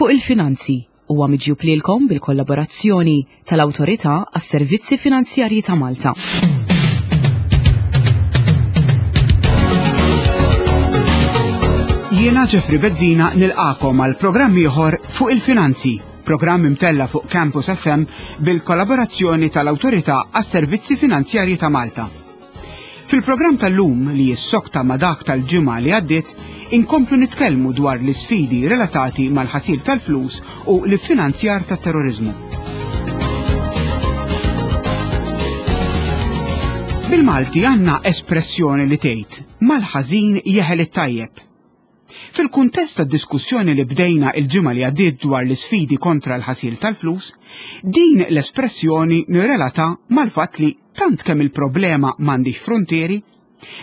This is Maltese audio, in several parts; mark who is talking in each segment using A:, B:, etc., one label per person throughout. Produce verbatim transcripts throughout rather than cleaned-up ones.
A: Fuq il-Finanzi huwa miġjub lilkom bil-kollaborazzjoni tal-Awtorità għas-Servizzi Finanzjarji ta' Malta.
B: Jiena Jeffrey Bezzina nilqakom għal programm ieħor Fuq il-Finanzi, programm imtella fuq Campus F M bil-kollaborazzjoni tal-Awtorità għas-Servizzi Finanzjarji ta' Malta. Fil-programm tal-lum li jissokta ma' dak tal-ġimgħa li għaddiet, inkomplu nitkellmu dwar l-isfidi relatati mal-ħasil tal-flus u l-finanzjar tat-terrorizmu. Bil-Malti għandna espressjoni li tgħid mal-ħażin jeħel it-tajjeb. Fil-kuntest tad-diskussjoni li bdejna il-ġimgħa li għaddiet dwar l-isfidi kontra l-ħasil tal-flus, din l-espressjoni nirrelata mal-fatt li tant kemm il-problema m'għandix frontieri,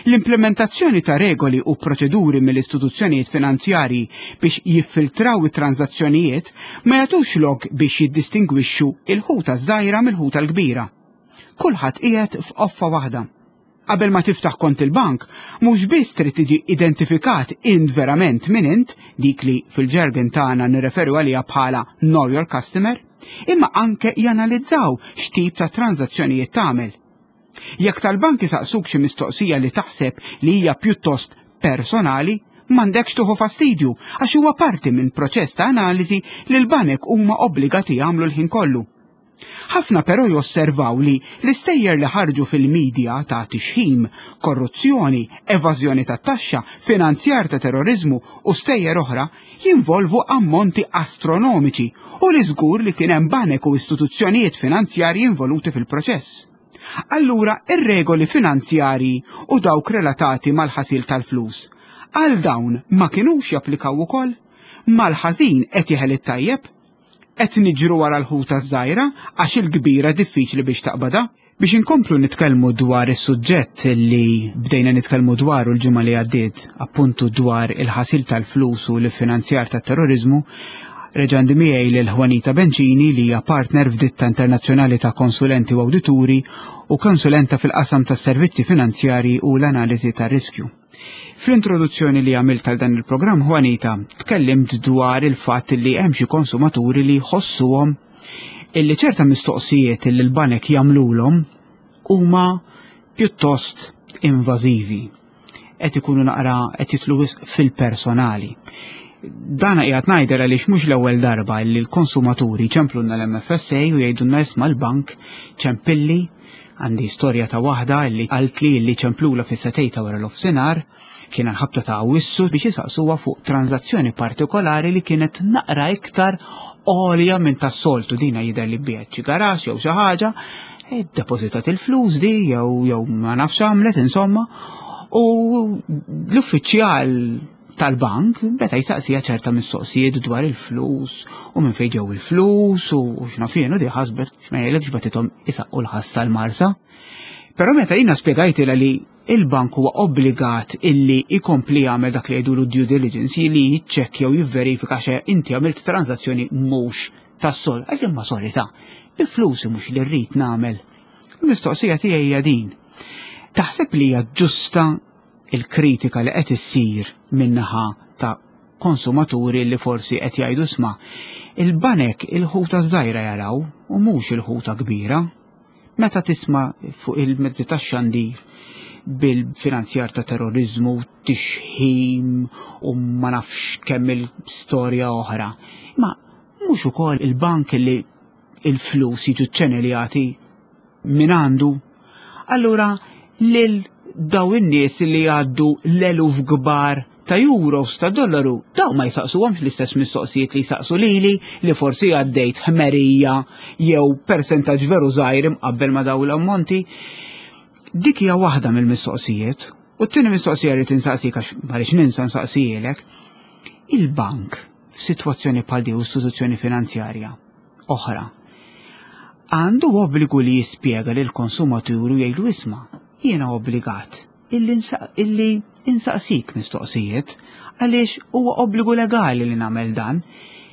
B: l-implementazzjoni ta' regoli u proċeduri mill-istituzzjonijiet finanzjarji biex jiffiltraw it-transazzjonijiet ma jagħtux lok biex jiddistingwixxu il-ħuta żgħira mill-ħuta l-kbira. Kulħadd qiegħed f'qoffa waħda. Qabel ma tiftaħ kont il-bank, mhux biss trid tiġi identifikat int verament min int, dik li fil-ġergen tagħna nirreferu għaliha bħala Know Your Customer, imma anke janalizzaw x'tip ta' transazzjonijiet tagħmel. Jekk tal-bank isaqsuk xi mistoqsija li taħseb li hija pjuttost personali, m'għandekx tieħu fastidju għax huwa parti minn proċess ta' analiżi li l-banek huma obbligati jagħmlu l-ħin kollu. Ħafna però josservaw li l-istejjer li ħarġu fil-medja ta' tixħim, korruzzjoni, evażjoni ta' taxxa, finanzjar ta' terrorizmu u stejjer oħra jinvolvu ammonti astronomiċi u li żgur li kien hemm banek u istituzzjonijiet finanzjarji involuti fil-proċess. Allura ir-regoli finanzjarji u dawk relatati mal-ħasil tal-flus għal dawn ma kinux japplikaw ukoll? Mal-ħażin qed jeħel it-tajjeb? Qed niġru wara l-ħuta żgħira għax il-kbira diffiċli biex taqbadha? Biex inkomplu nitkellmu dwar is-suġġett li bdejna nitkellmu dwaru l-ġimgħa li għaddiet, appuntu dwar il-ħasil tal-flus u l-finanzjar tat-terrorizmu, reġa' għandi miegħi lil Juanita Bencini li hija partner f'ditta internazzjonali ta' konsulenti u awdituri u konsulenta fil-qasam tas-servizzi finanzjarji u l-analiżi tar-riskju. Fl-introduzzjoni li għamilt għal dan il-programm, Juanita, tkellimt dwar il-fatt li hemm xi konsumaturi li jħossuhom illi ċerta mistoqsijiet li l-banek jagħmlulhom huma pjuttost invażivi. Qed ikunu naqra qed jitlu wisq fil-personali. Dana qiegħed ngħidel għaliex mhux l-ewwel darba li l-konsumaturi ċemplunna l-M F S A u jgħidulna isma' l-bank ċempilli, għandi storja ta' waħda li qaltli li ċemplula fis-setejta wara l-offsinar, kien ħabta ta' Awwissu biex isaqsuha fuq transazzjoni partikolari li kienet naqra iktar għolja minn tas-soltu. Dina jidher li biegħet xi garaxx jew xi ħaġa, e depożitat il-flus di jew, jew ma nafx għamlet insomma, u l-uffiċjal tal-bank beda jistaqsija ċerta mistoqsijiet dwar il-flus u minn fejn ġew il-flus u x'naf jien, u di ħasbet x'ma jgħidlekx batithom isaqqu l-ħass tal-Marsa. Però meta jiena spjegajtilha li il-bank huwa obbligat illi jkompli jagħmel dak li jgħidulu due diligence, li jiċċekkja u jivverifika xe inti għamilt transazzjoni mhux tas-sol, għax imma sorry ta' bi flusi mhux li rrid nagħmel. Il-mistoqsija tiegħi hija din. Taħseb li hija ġusta il-kritika li qed issir min-naħa ta' konsumaturi li forsi qed jgħidu sma' il-banek il-ħuta żgħira jaraw u mhux il-ħuta kbira? Meta tisma' fuq il-mezzi tax-xandir bil-finanzjar ta' terrorizmu, tixħim u ma nafx kemm il-storja oħra. Ma mhux ukoll il-bank li il-flus jiġu ċċeneljati minn għandu. Allura lil daw in-nies li jgħaddu l-eluf kbar ta' euros, ta' dollaru, daw ma jsaqsuhomx l-istess mistoqsijiet li jsaqsu lili li forsi għaddejt ħmerija jew persentaġġ veru żgħir imqabbel ma' daw l-ammonti. Dik hija waħda mill-mistoqsijiet. U t-tieni mistoqsija li tinsaqsik għax ma rridx ninsa nsaqsijielek, il-bank f'sitwazzjoni bħal di u istituzzjoni finanzjarja oħra għandu obbligu li jispjega lil konsumatur u jgħidlu isma' jiena obbligat illi nsa-, illi insaqsik mistoqsijiet għaliex huwa obbligu legali li nagħmel dan.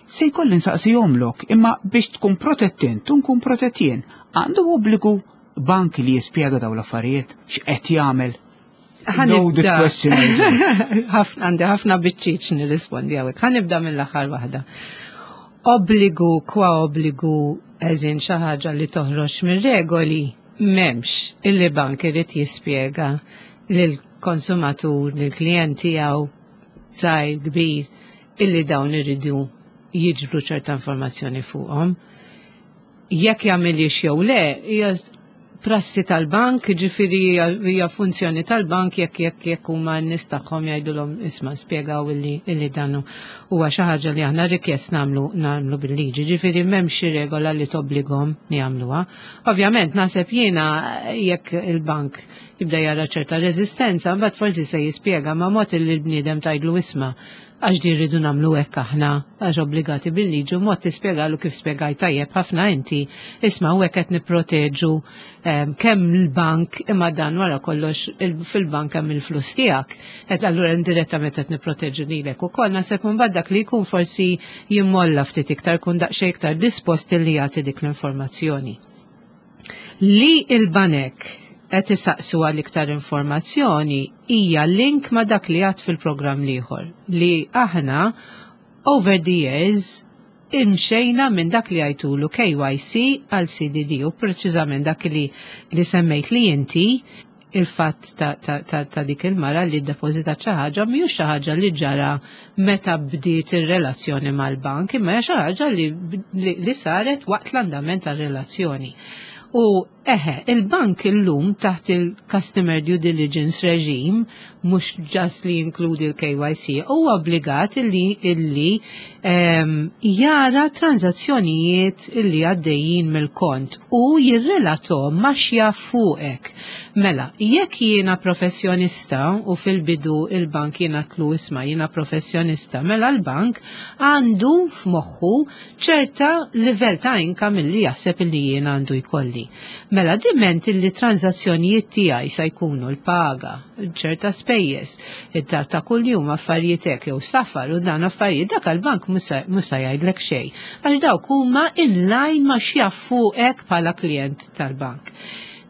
B: Se jkolli nsaqsihomlok, imma biex tkun protett int u nkun protett jien, għandu obbligu bank li jispjega dawn l-affarijiet x'qed jagħmel.
C: Ħanibda.
B: Loaded question, Angel.
C: Ħafna, għandi ħafna biċċiċ nirrispondi hawnhekk. Ħanibda mill-aħħar waħda. Obbligu kwa obbligu eżin xi ħaġa li toħroġ mir-regoli m'hemmx illi bank irid jispjega lill-konsumatur, lill-klijent tiegħu żgħir kbir illi dawn iridu jiġbru ċerta informazzjoni fuqhom. Jekk jagħmilix jew le, hija prassi tal-bank, ġifieri hija funzjoni tal-bank jekk jekk jekk huma n-nies tagħhom jgħidulhom isma' spjegaw illi illi dan huwa xi ħaġa li aħna rikjest nagħmlu nagħmlu bil-liġi. Ġifieri m'hemmx xi regola li tobbligahom li jagħmluha. Ovvjament naħseb jiena jekk il-bank jibda jara ċerta reżistenza, mbagħad forsi se jispjega ma' mod li l-bniedem tgħidlu isma' għax di rridu nagħmlu hekk aħna għax obbligati bil-liġi u mod tispjegalu kif spjegaj tajjeb ħafna inti isma' u hekk qed nipproteġu em, kemm l-bank imma dan wara kollox il- fil-bank hemm il-flus tiegħek. Qed allura indirettament qed nipproteġu lilek ukoll naħseb imbagħad dak li jkun forsi jimmolla ftit iktar kun daqsxejn iktar dispost li jagħti dik l-informazzjoni. Li il-banek qed isaqsu għal iktar informazzjoni hija link ma' dak li għad fil-programm l-ieħor li aħna over the years imxejna minn dak li għajtulu K Y C għal C D D u preċiżament dak li li semmejt li inti il-fatt ta', ta, ta, ta' dik il-mara li ddepożita xi ħaġa mhijiex xi ħaġa li ġara meta bdiet ir-relazzjoni mal-bank, imma hija xi ħaġa li, li, li saret waqt l-andament tar-relazzjoni. U eħe, il-bank illum taħt il-Customer Due Diligence Regime, mhux just li jinkludi l-K Y C, huwa obbligat illi, illi um, jara transazzjonijiet illi għaddejjin mill-kont u jirrelatom ma x'jaf fuqek. Mela, jekk jiena professjonista u fil-bidu il-bank jiena tlu isma' jiena professjonista, mela l-bank għandu f'moħħu ċerta livell ta' income illi jaħseb illi jiena għandu jkolli. Mela diment illi transazzjonijiet tiegħi sa jkunu l-paga, ċerta spejjeż, id-dar ta' kuljum, affarijiet hekk jew safar u dan affarijiet dak il-bank mhux se jgħidlek xejn. Għax dawk huma in line ma x'jaf fuqek bħala klient tal-bank.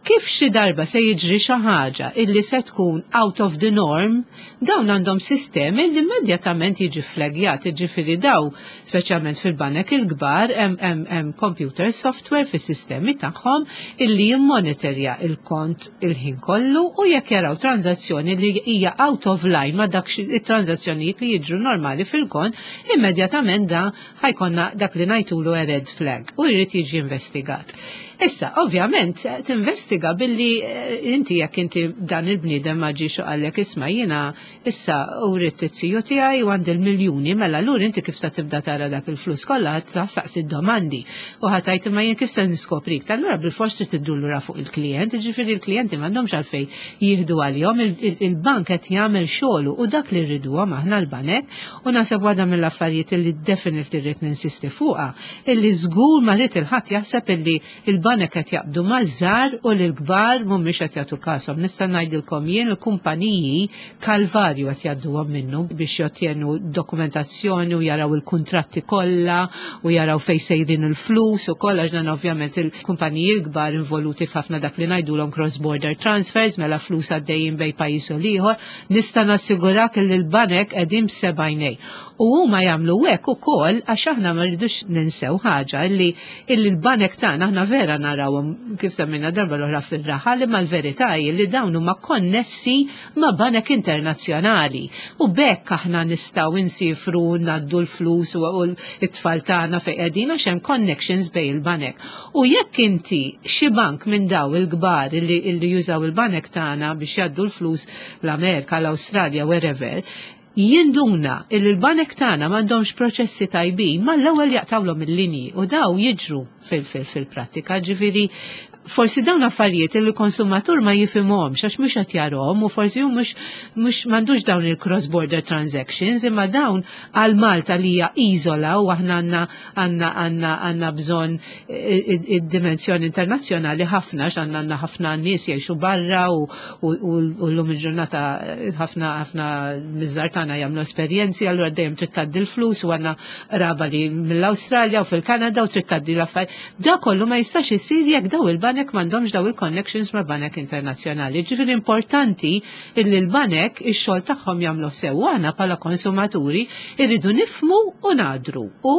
C: Kif xi darba se jiġri xi ħaġa illi se tkun out of the norm, dawn għandhom sistemi li immedjatament jiġi flagjat, jiġifieri daw, speċjalment fil-banek il-kbar, hemm hemm hemm computer software fis-sistemi tagħhom illi jimmonitorja il-kont il-ħin kollu u jekk jaraw tranzazzjoni li hija out of line ma dak it-tranzazzjonijiet li jiġru normali fil-kont, immedjatament da ħa jkollna dak li ngħidulu a red flag u jrid jiġi investigat. Issa, ovvjament, tinvestiga billi eh, inti jekk inti dan il-bniedem ma ġiex u qallek isma' jiena issa u rrid it-tiju tiegħi u għandi l-miljuni, mela allura inti kif sa tibda tara dak il-flus kollha ħa domandi u ħa tgħid imma jien kif se niskoprik. Allura bil-fors trid iddur lura fuq il-klient, ġifieri il-klijenti m'għandhomx għalfejn jieħdu għalihom, il-bank qed jagħmel xogħlu u dak li rriduhom aħna l-banek u naħseb waħda mill-affarijiet illi definitely rrid ninsisti fuqha illi żgur ma rrid il-ħadd jaħseb illi il-banek qed jaqbdu maż-żgħar u l-kbar mhumiex qed jagħtu kashom. Nista' ngħidilkom jien il-kumpaniji kalvarju qed jgħadduhom minnu biex jottjenu dokumentazzjoni u jaraw il-kuntratti kollha u jaraw fejn sejrin il-flus u kollha għax ovvjament il-kumpaniji l-kbar involuti f'ħafna dak li ngħidulhom cross-border transfers, mela flus għaddejjin bejn pajjiż u l-ieħor, nista' nassigurak li l-banek qegħdin b'sebgħajnej. U huma jagħmlu hekk ukoll għax aħna ma rridux ninsew ħaġa illi illi l-banek tagħna aħna vera narawhom kif semmejna darba l-oħra fir-raħal imma l-verità hi li dawn huma konnessi ma' banek internazzjonali. U bekk aħna nistgħu insifru ngħaddu l-flus u t-tfal tagħna fejn qegħdin għax hemm connections bejn il-banek. U jekk inti xi bank minn daw il-kbar illi, illi jużaw il-banek tagħna biex jgħaddu l-flus l-Amerika, l-Awstralja, wherever, jinduna il l-banek tagħna m'għandhomx proċessi tajbin, mal-ewwel jaqtawlhom il-linji u daw jiġru fil-prattika, ġifieri forsi dawn affarijiet il konsumatur ma jifhimhomx għax mhux qed jarahom u forsi hu mhux mhux m'għandux dawn il-cross border transactions imma dawn għal Malta li hija iżola u aħna għandna għandna għandna għandna bżonn id-dimensjoni internazzjonali ħafna għax għandna għandna ħafna nies jgħixu barra u llum il-ġurnata ħafna ħafna miż-żgħar tagħna jagħmlu esperjenzi allura dejjem trid tgħaddi l-flus u għandna raba li mill-Awstralja u fil-Kanada u trid tgħaddi l-affarijiet. Da kollu ma jistax isir jekk daw il-banek il-banek m'għandhomx daw il-connections ma' banek internazzjonali. Ġifieri importanti illi l-banek ix-xogħol tagħhom jagħmlu sew, aħna bħala konsumaturi irridu nifhmu u nadru u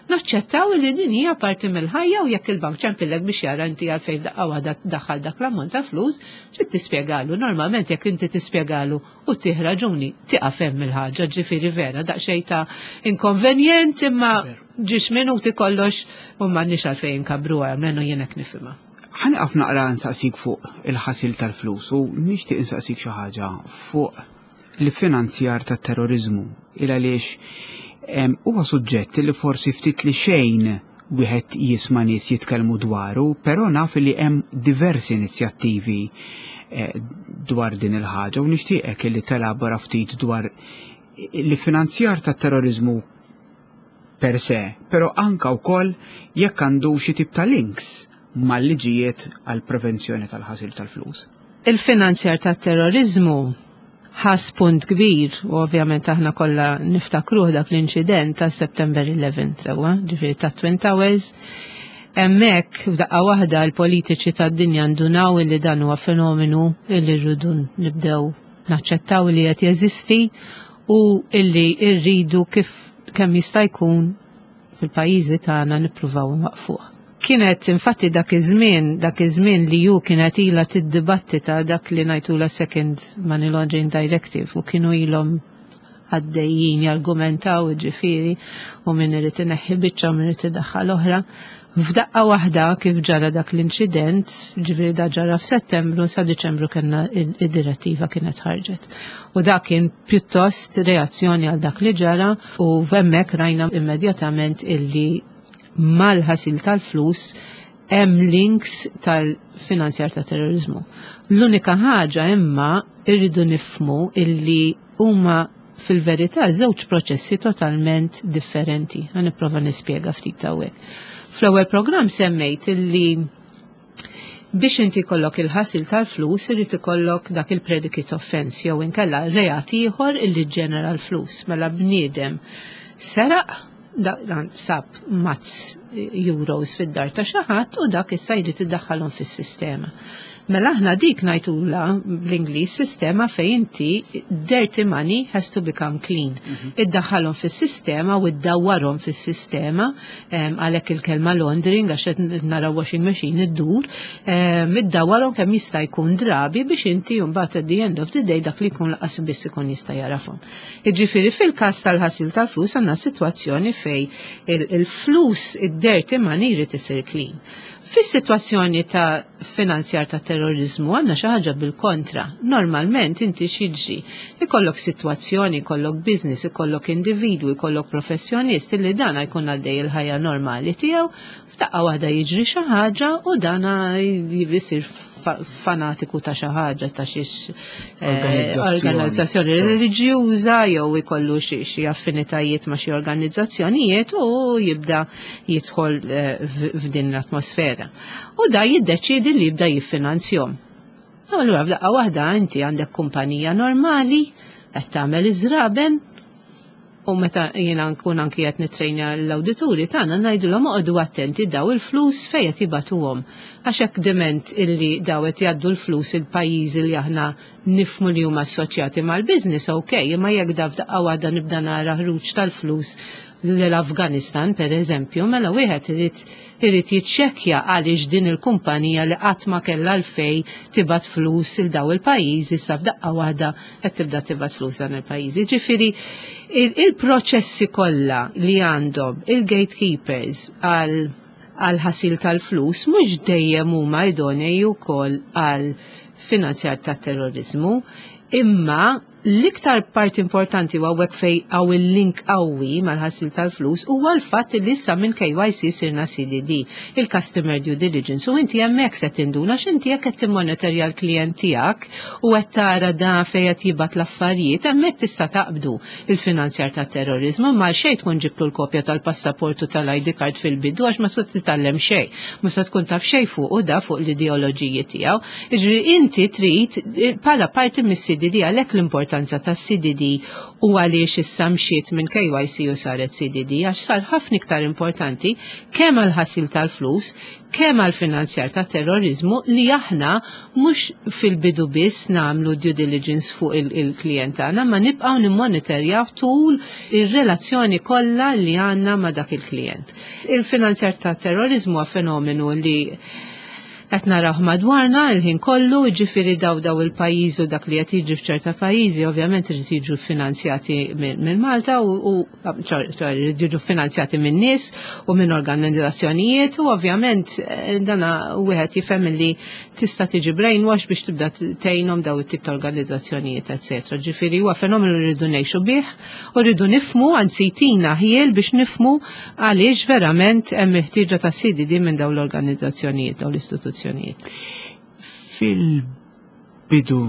C: naċċettaw li din hija parti mill-ħajja, u jekk il-bank ċempillek biex jara inti għalfejn daqqa waħda daħal dak l-ammont ta' flus, trid tispjegalu. Normalment jekk inti tispjegalu u tih raġuni, tieqaf hemm il-ħaġa. Ġifieri vera daqsxejn ta' inkonvenjent, imma ġiex minuti kollox u m'għandniex għalfejn nkabruha, almenu jien hekk nifhimha.
B: Ħa nieqaf naqra nsaqsik fuq il-ħasil tal-flus u nixtieq insaqsik xi ħaġa fuq l-finanzjar tat-terrorizmu, il għaliex huwa suġġett li forsi ftit li xejn wieħed jisma' nies jitkellmu dwaru, però naf li hemm diversi inizjattivi eh, dwar din il-ħaġa u nixtieqek li telabora ftit dwar l-finanzjar tat-terrorizmu per se, però anka wkoll jekk għandu xi tip ta' links mal-liġijiet għal prevenzjoni tal-ħasil tal-flus.
C: Il-finanzjar tat-terrorizmu ħa spunt kbir u ovvjament aħna kollha niftakruh dak l-inċident ta' September eleven, sewwa, ġifieri ta' Twin Towers. Hemmhekk f'daqqa waħda l-politiċi tad-dinja ndunaw illi dan huwa fenomenu illi rridu nibdew naċċettaw li qed jeżisti u illi rridu kif kemm jista' jkun fil-pajjiżi tagħna nippruvaw nwaqfuh. Kienet infatti dak iż-żmien, dak iż-żmien li ju kienet ilha tiddibattita dak li ngħidula Second Money Laundering Directive u kienu ilhom għaddejjin jargumentaw, ġifieri, u min irid ineħħi biċċa u min irid idaħħal oħra. F'daqqa waħda kif ġara dak l-inċident, ġifieri da ġara f'Settembru, sa Diċembru kellna id-direttiva kienet ħarġet. U dak kien pjuttost reazzjoni għal dak li ġara u hemmhekk rajna immedjatament illi mal-ħasil tal-flus hemm links tal-finanzjar ta' terrorizmu. L-unika ħaġa imma irridu nifhmu illi huma fil-verità żewġ proċessi totalment differenti. Ħa nipprova nispjega ftit hawnhekk. Fl-ewwel programm semmejt illi biex inti kollok il-ħasil tal-flus irid ikollok dak il-predicate offense jew inkella reat ieħor illi ġenera l-flus. Mela bniedem seraq, dan sab mazz euros fid-dar ta' xi ħadd u dak issa jrid iddaħħalhom fis-sistema. Mela aħna dik ngħidulha bl-Ingliż sistema fejn inti dirty money has to become clean. Mhm. Iddaħħalhom fis-sistema u iddawwarhom fis-sistema, għalhekk il-kelma laundering, għax qed nara washing machine iddur, iddawwarhom kemm jista' jkun drabi biex inti mbagħad at the end of the day dak li jkun lanqas biss ikun jista' jarafhom. Jiġifieri fil-każ tal-ħasil tal-flus għandna sitwazzjoni fej il-flus, id-dirty money, jrid isir clean. Fis-sitwazzjoni ta' finanzjar ta' terrorizmu għandna xi ħaġa bil-kontra. Normalment inti x'jiġri? Ikollok sitwazzjoni, ikollok business, ikollok individwu, ikollok professjonist illi dana jkun għaddej il-ħajja normali tiegħu, f'daqqa waħda jiġri xi ħaġa u dana jisir fanatiku ta' xi ħaġa, ta' xi eh, organizzazzjoni reliġjuża jew ikollu xi affinitajiet ma' xi organizzazzjonijiet u jibda jidħol eh, f'din l-atmosfera. U da jiddeċidi li jibda jiffinanzjahom. Allura f'daqqa waħda inti għandek kumpanija normali qed tagħmel iż-żraben, u meta jiena nkun anki qed nittrejnja l-awdituri tagħna ngħidulhom oqogħdu attenti daw il-flus fejn qed jibagħtuhom. Għax hekk diment illi daw qed jgħaddu l-flus il-pajjiżi li aħna nifhmu li huma assoċjati mal-business, ok, imma jekk da f'daqqa waħda nibda nara ħruġ tal-flus l-Afganistan, per eżempju, mela wieħed irid irid jiċċekkja għaliex din il-kumpanija li qatt ma kellha l-fej tibgħat flus il daw il-pajjiżi issa f'daqqa waħda qed tibda tibgħat flus dan il-pajjiżi. Ġifieri il-proċessi kollha li għandhom il-gatekeepers għal għal ħasil tal-flus mhux dejjem huma idonei wkoll għal finanzjar ta' terrorizmu. Imma l-iktar part importanti u hawnhekk fej hawn il-link qawwi mal-ħasil tal-flus huwa l-fatt li issa minn K Y C sirna C D D, il-Customer Due Diligence, u inti hemmhekk se tinduna x'inti jekk qed timmonitorja l-klient tiegħek u qed tara da fejn qed jibgħat l-affarijiet, hemmhekk tista' taqbdu il-finanzjar ta' terrorizmu, ma xejn tkun ġibtu l-kopja tal-passaport u tal-I D card fil-bidu, għax ma se titgħallem xejn, ma se tkun taf xejn fuq u da fuq l-ideoloġiji tiegħu. Jiġifieri inti trid bħala parti mis C D D, għalhekk l-importanza tas-C D D u għaliex issa mxiet minn K Y C u saret C D D, għax sar ħafna iktar importanti kemm għal ħasil tal-flus, kemm għal finanzjar ta' terrorizmu, li aħna mhux fil-bidu biss nagħmlu due diligence fuq il-klient tagħna, ma nibqgħu nimmonitorjaw tul ir-relazzjoni kollha li għandna ma' dak il-klient. Il-finanzjar ta' terrorizmu huwa fenomenu li qed naraw madwarna il-ħin kollu, ġifieri daw daw il-pajjiżi u dak li qed jiġri f'ċerta pajjiżi ovvjament irid jiġu finanzjati minn Malta u jrid jiġu finanzjati minn nies u minn organizzazzjonijiet u ovvjament eh, dana wieħed jifhem li tista' tiġi brainwash biex tibda tgħinhom daw it-tip ta' organizzazzjonijiet, eċetera. Ġifieri huwa fenomenu li rridu ngħixu bih u rridu nifhmu, anzi jtina ħjiel biex nifhmu għaliex verament hemm ħtieġa ta' C D D minn dawn l-organizzazzjonijiet, dawn l-istituzzjonijiet.
B: Fil-bidu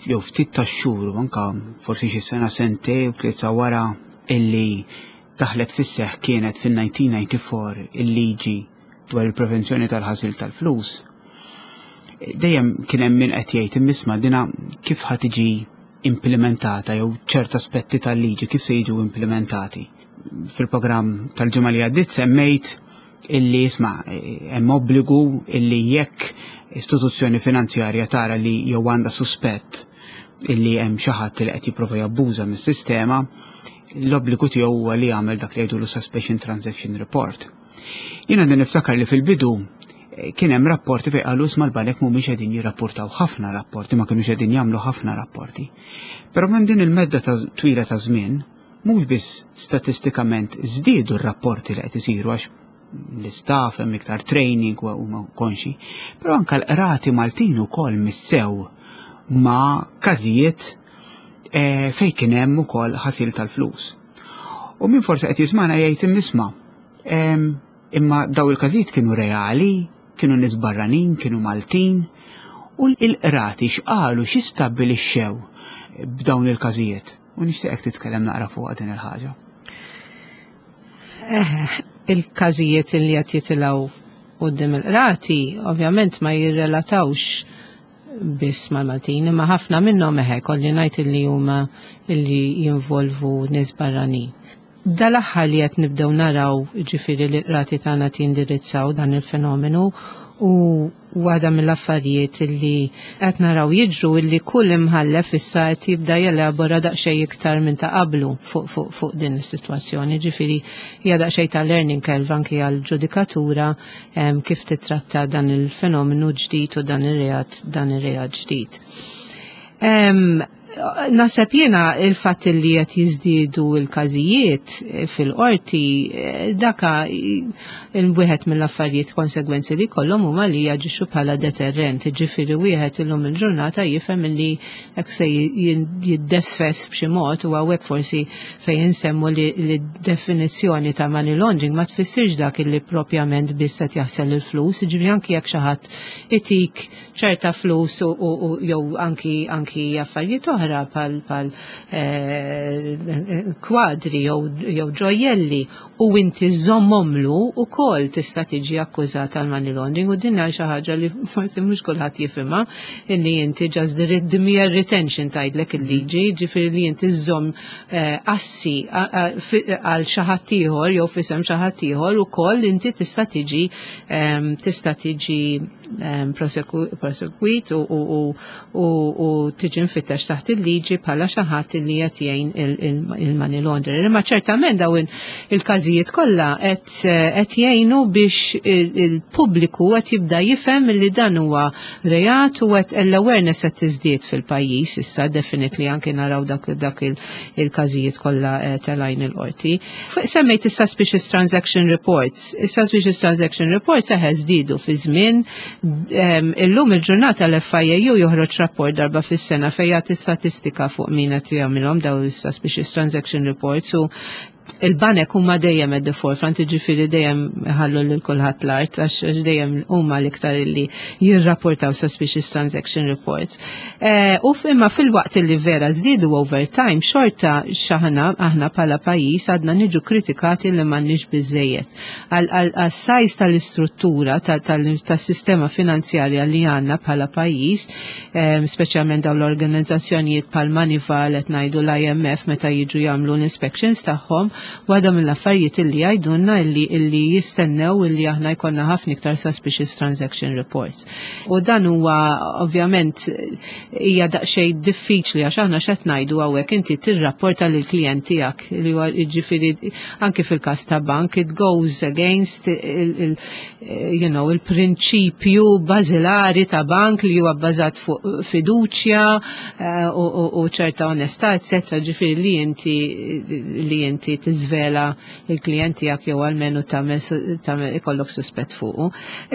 B: jew ftit ta' xhur, anka forsi xi sena, sentej u tlieta wara illi daħlet fis-seħ, kienet fil-elf disa' mija u disgħa u disgħin, il-liġi dwar il-prevenzjoni tal-ħasil tal-flus. Dejjem kien hemm min qed jgħid, imma dina kif ħa tiġi implementata jew ċert aspetti tal-liġi kif se jiġu implementati? Fil-programm tal-ġimgħa li għaddiet semmejt illi isma' hemm obbligu illi jekk istituzzjoni finanzjarja tara li jew għandha suspett illi hemm xi ħadd li qed jipprova jabbuża mis-sistema, l-obbligu tiegħu huwa li jagħmel dak li jgħidulu Suspicious Transaction Report. Jiena din niftakar li fil-bidu eh, kien hemm rapporti fejn qalu, isma', l-banek mhumiex qegħdin jirrapportaw ħafna rapporti, ma kinux qegħdin jagħmlu ħafna rapporti. Però minn din il-medda ta' twila ta' żmien, mhux biss statistikament żdiedu r-rapporti li qed isiru għax l-istaff hemm iktar training u huma konxi, però anka l-qrati Maltin ukoll missew ma' każijiet eh, fej kien hemm ukoll ħasil tal-flus. U min forsi qed jismana jgħid, imma imma daw il-każijiet kienu reali, kienu nies barranin, kienu Maltin, u l-qrati x'qalu, x'istabbilixxew b'dawn il-każijiet? U nixtieqek titkellem naqra fuq din il-ħaġa.
C: Eh, il-każijiet li qed jitilgħu quddiem il-qrati ovvjament ma jirrelatawx biss mal-Maltin, imma ħafna minnhom, eħe, kolli ngħid li huma illi jinvolvu nies barranin. Dal-aħħar li qed nibdew naraw, ġifieri, li l-qrati tagħna tindirizzaw dan il-fenomenu, u waħda mill-affarijiet illi qed naraw jiġru illi kull imħallef issa qed jibda jelabora daqsxejn iktar minn ta' qablu fuq fuq fuq din is-sitwazzjoni. Ġifieri hija daqsxejn ta' learning curve anki għall-ġudikatura kif titratta dan il-fenomenu ġdid u dan ir-reat dan ir-reat ġdid. Naħseb jiena il-fatt li qed jiżdiedu l-każijiet fil-qorti, daka il-wieħed mill-affarijiet, konsegwenzi li kollhom huma li jaġixxu bħala deterrent. Ġifieri wieħed illum il-ġurnata jifhem li hekk se jiddeffes b'xi mod, u hawnhekk forsi fejn insemmu li definizzjoni ta' money laundering ma tfissirx dak li propjament biss qed jaħsel il-flus, ġifieri anki jekk xi ħadd itik ċerta flus u jew anki anki affarijiet oħra pal pal eh, kwadri jew ġojjelli u inti żommomlu, ukoll tista' tiġi akkużat għal money laundering, u din xi ħaġa li forsi mhux kulħadd jifhimha, illi inti just the mere retention, tgħidlek il-liġi, ġifieri li inti żomm eh, assi għal xi ħadd ieħor jew f'isem xi ħadd ieħor, ukoll inti tista' tiġi tista' tiġi prosegwit u tiġi mfittex taħt il-liġi bħala xi ħadd li qed jgħin il-money laundering. Imma ċertament dawn il-każijiet kollha qed jgħinu biex il-pubbliku qed jibda jifhem li dan huwa reat u qed l-awareness qed tiżdied fil-pajjiż issa, definitely anke naraw dak dak il-każijiet kollha eh, telgħin il-qorti. Semmejt is-Suspicious Transaction Reports. Is-Suspicious Transaction Reports eħe żdiedu fi żmien. Illum il-ġurnata l-F I A U joħroġ rapport darba fis-sena fejn jagħti statistika fuq min qed jagħmilhom daw is-Suspicious Transaction Reports u Il-banek huma dejjem at the forefront, ġifieri dejjem ħallu lil kulħadd l-art, għax dejjem huma l-iktar li jirrapportaw suspicious transaction reports. Eh, u imma fil-waqt li vera żdiedu over time, xorta xaħna aħna bħala pajjiż għadna niġu kritikati li m'għandniex biżejjed. Għal-size tal-istruttura tas-sistema finanzjarja li għandna bħala pajjiż, speċjalment dawn l-organizzazzjonijiet bħal Moneyval, qed ngħidu l-I M F, meta jiġu jagħmlu l-inspections tagħhom, waħda mill-affarijiet illi jgħidulna illi illi jistennew illi aħna jkollna ħafna iktar suspicious transaction reports. U dan huwa ovvjament hija daqsxejn diffiċli, għax aħna x'qed ngħidu hawnhekk, inti tirrapporta lil klijent tiegħek, li huwa jiġifieri anke fil-każ ta' bank it goes against il, you know, il-prinċipju bażilari ta' bank li huwa bbażat fuq fiduċja eh, u ċerta onestà, eccetera. Ġifieri li inti li inti tiżvela il-klijent tiegħek jew almenu tagħmel ikollok suspett fuqu.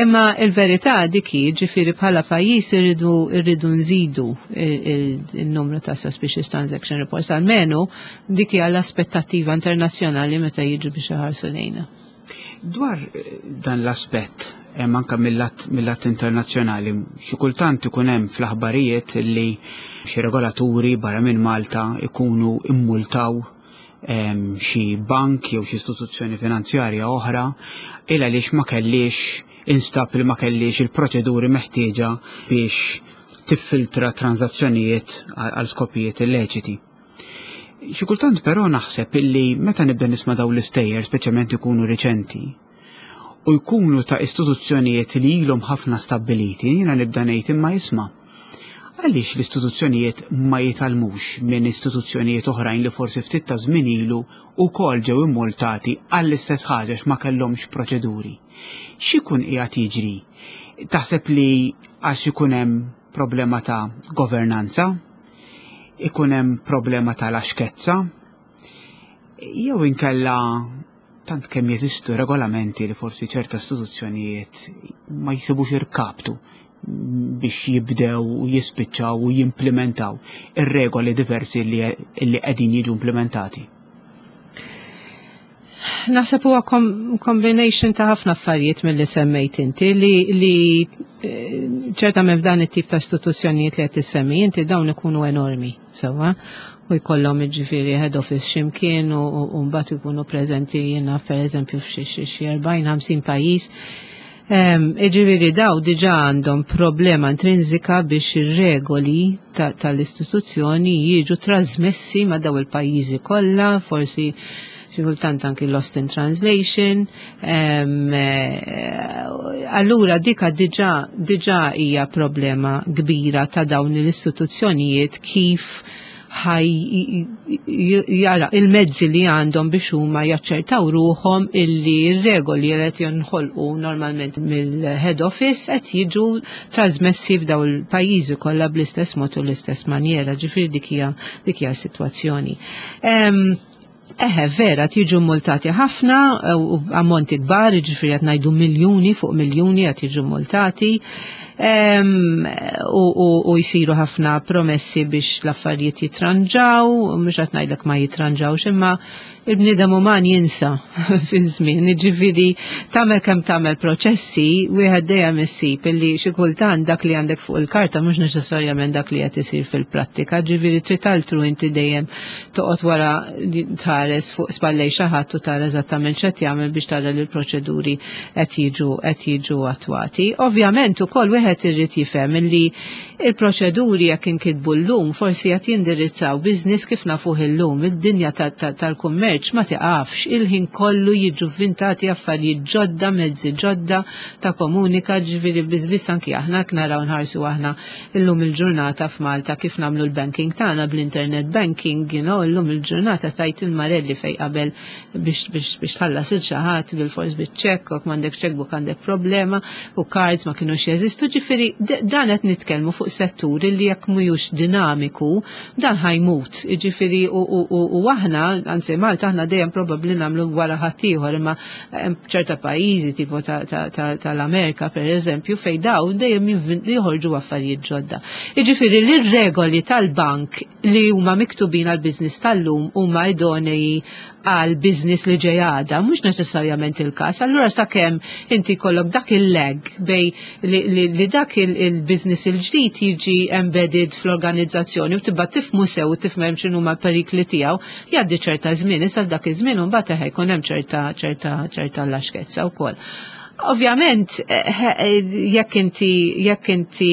C: Imma il-verità dik hi, ġifieri bħala pajjiż irridu irridu nżidu il-numru ta' suspicious transaction reports, almenu dik hija l-aspettattiva internazzjonali meta jiġu biex iħarsu lejna.
B: Dwar eh, dan l-aspett, hemm anka mill-lat internazzjonali, xi kultant ikun hemm fl-aħbarijiet li xi regolaturi barra minn Malta ikunu immultaw xi bank jew xi istituzzjoni finanzjarja oħra illa għaliex ma kellix instab li ma kellix il-proċeduri meħtieġa biex tiffiltra transazzjonijiet għal skopijiet illeċiti. Xi kultant però naħseb illi meta nibda nisma' dawn l-istejjer, speċjalment ikunu riċenti, u jkunu ta' istituzzjonijiet li ilhom ħafna stabbiliti, jiena nibda ngħid, imma isma', għaliex l-istituzzjonijiet ma jitgħallmux minn istituzzjonijiet oħrajn li forsi ftit ta' żmien ilu wkoll ġew immultati għall-istess ħaġa, ma kellhomx proċeduri? X'ikun qiegħed jiġri? Taħseb li għax ikun hemm problema ta' governanza, ikun hemm problema ta' laxkezza, jew inkella tant kemm jeżistu regolamenti li forsi ċerta istituzzjonijiet ma jsibux irkaptu biex jibdew u jispiċċaw u jimplementaw ir-regoli diversi li qegħdin jiġu implementati?
C: Naħseb huwa combination ta' ħafna affarijiet mill-li semmejt inti li, li eh, ċertament f'dan it-tip ta' istituzzjonijiet li qed issemmi inti, dawn ikunu enormi, sewwa, u jkollhom jiġifieri head office x'imkien u u mbagħad ikunu preżenti, jiena, pereżempju, f'xi xi erbgħin ħamsin pajjiż. Iġifieri daw diġà għandhom problema intrinsika biex ir-regoli tal-istituzzjoni jiġu trasmessi ma' daw il-pajjiżi kollha, forsi xi kultant anki lost in translation. Eh, allura dika diġà diġà hija problema kbira ta' dawn l-istituzzjonijiet, kif ħaj jara il-mezzi li għandhom biex huma jaċċertaw ruħhom illi r-regoli li qed jinħolqu normalment mill-head office qed jiġu trasmessi f'daw il-pajjiżi kollha bl-istess mod u l-istess manjera. Ġifieri dik hija dik hija s-sitwazzjoni. Eħe, vera, tiġu multati ħafna, u ammonti kbar, ġifieri qed ngħidu miljuni fuq miljuni qed jiġu multati. U, u, u jisiru ħafna promessi biex l-affarijiet jitranġaw, mhux qed ngħidlek ma jitranġawx, imma il-bniedem uman jinsa fi żmien, ġifieri tagħmel kemm tagħmel proċessi, wieħed dejjem issib illi xi kultant dak li għandek fuq il-karta mhux neċessarjament dak li qed isir fil-prattika, ġifieri trid altru inti dejjem toqgħod wara tħares fuq spallej xi ħadd u tara eżattament x'qed jagħmel biex tara li l-proċeduri qed jiġu qed jiġu attwati. Ovvjament ukoll wieħed irid jifhem illi il-proċeduri jekk inkitbu llum forsi qed jindirizzaw business kif nafuh illum, id-dinja tal-kummerċ ma tiqafx, il-ħin kollu jiġu vvintati affarijiet ġodda, mezzi ġodda ta' komunika, ġifieri biss anki aħna naraw nħarsu aħna illum il-ġurnata f'Malta kif nagħmlu l-banking tagħna bl-internet banking, you know, illum il-ġurnata tajt il-marelli fej qabel biex biex biex tħallas il xi ħadd bil-fors biċ-ċekk, u m'għandek checkbook għandek problema, u cards ma kienux jeżistu, ġifieri dan qed nitkellmu fuq setturi li jekk mhux dinamiku dan ħa jmut. Ġifieri u aħna, anzi Malta Malta aħna dejjem probabbli nagħmlu wara ħaddieħor, imma hemm ċerta pajjiżi tipo tal-Amerika pereżempju fejn dawn dejjem joħorġu affarijiet ġodda. Jiġifieri li r-regoli tal-bank li huma miktubin għall-business tal-lum huma idonei għal business li ġej għada, mhux neċessarjament il-każ. Allura sakemm inti jkollok dak il-lag bej li, li, li dak il-business il-ġdid jiġi embedded fl-organizzazzjoni u tibda tifhmu sew u tifhem x'inhuma l-perikli tiegħu, jgħaddi ċerta żmien, issa dak iż-żmien imbagħad eħe jkun hemm ċerta ċerta ċerta laxkezza wkoll. Ovvjament, jekk inti jekk inti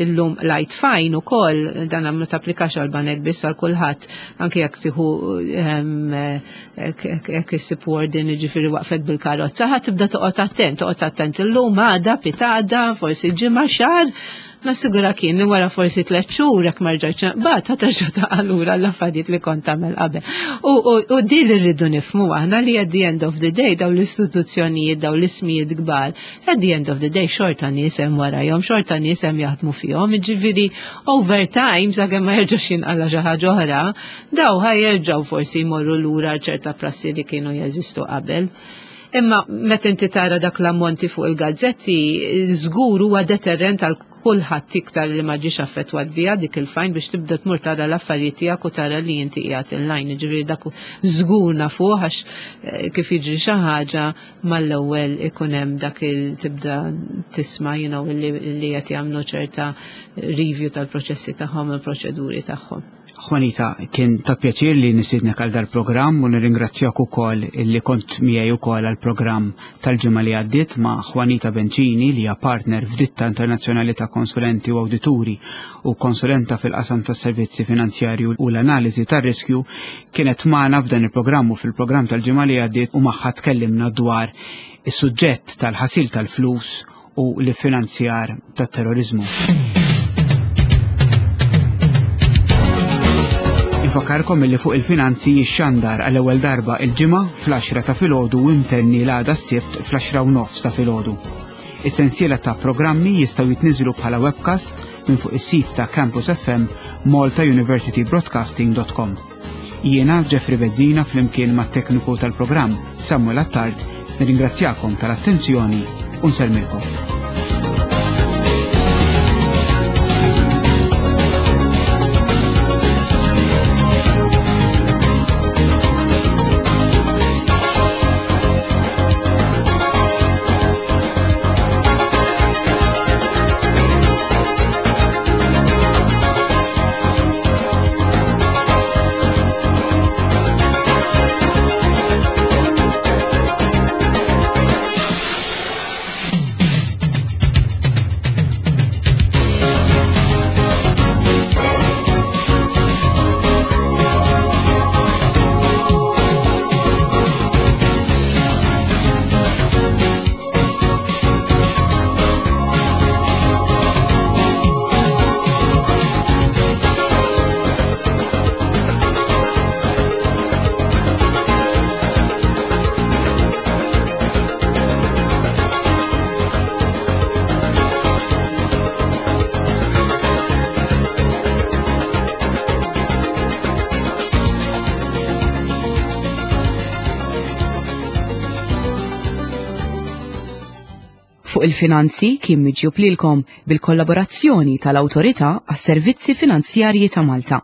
C: llum light fine ukoll, dan ma tapplikax għal banek biss, għal kulħadd, anke jekk tieħu jekk issib warden, jiġifieri waqfet bil-karozza, ħa tibda toqgħod attent, toqgħod attent illum, għada, pitgħada, forsi ġimgħa, xahar, nassigura kien li wara forsi tliet xhur jekk ma rġajtx bat ħa terġa' taqa' lura l-affarijiet li kont tagħmel qabel. U din li rridu nifhmu aħna li at the end of the day dawn l-istituzzjonijiet, dawn l-ismijiet kbar, at the end of the day xorta nies hemm warajhom, xorta nies hemm jaħdmu fihom, jiġifieri over time sakemm ma jerġax jinqala xi ħaġa oħra, daw ħa jerġgħu forsi jmorru lura ċerta prassi li kienu jeżistu qabel. Imma meta inti tara dak l-ammonti fuq il-gazzetti, żgur huwa deterrent għal kulħadd iktar li ma ġiex affettwat biha dik il-fine biex tibda tmur tara l-affarijiet tiegħek u tara li inti qiegħed in-line. Ġifieri dak żgur nafuh għax eh, kif jiġri xi ħaġa mal-ewwel ikun hemm dak il tibda tisma' you know, li qed jagħmlu ċerta review tal-proċessi tagħhom, il-proċeduri tagħhom.
B: Juanita, kien ta' pjaċir li nistiednek għal dal-programm u nirringrazzjak ukoll li kont miegħi ukoll għall-programm tal-ġimgħa li għaddiet ma' Juanita Bencini, li hija partner f'ditta internazzjonali ta' konsulenti u awdituri u konsulenta fil-qasam tas servizzi finanzjarju u l-analiżi tar-riskju, kienet magħna f'dan il-programm u fil-programm tal-ġimgħa li għaddiet u magħha tkellimna dwar is-suġġett tal-ħasil tal-flus u l-finanzjar tat-terrorizmu. Infakkarkom illi Fuq il-Finanzi jixxandar għall-ewwel darba il-Ġimgħa fl-għaxra ta' filgħodu u imtenni l-għada s-Sibt fl-għaxra u nofs ta' filgħodu. Is-sensiela ta' programmi jistgħu jitniżlu bħala webcast minn fuq is-sit ta' Campus F M malta university broadcasting dot com. Jiena Jeffrey Bezzina flimkien mat-tekniku tal-programm Samuel Attard nirringrazzjakom tal-attenzjoni u nsellmilkom.
A: Fuq il-Finanzi kien miġjub lilkom bil-kollaborazzjoni tal-Awtorità għas-Servizzi Finanzjarji ta' Malta.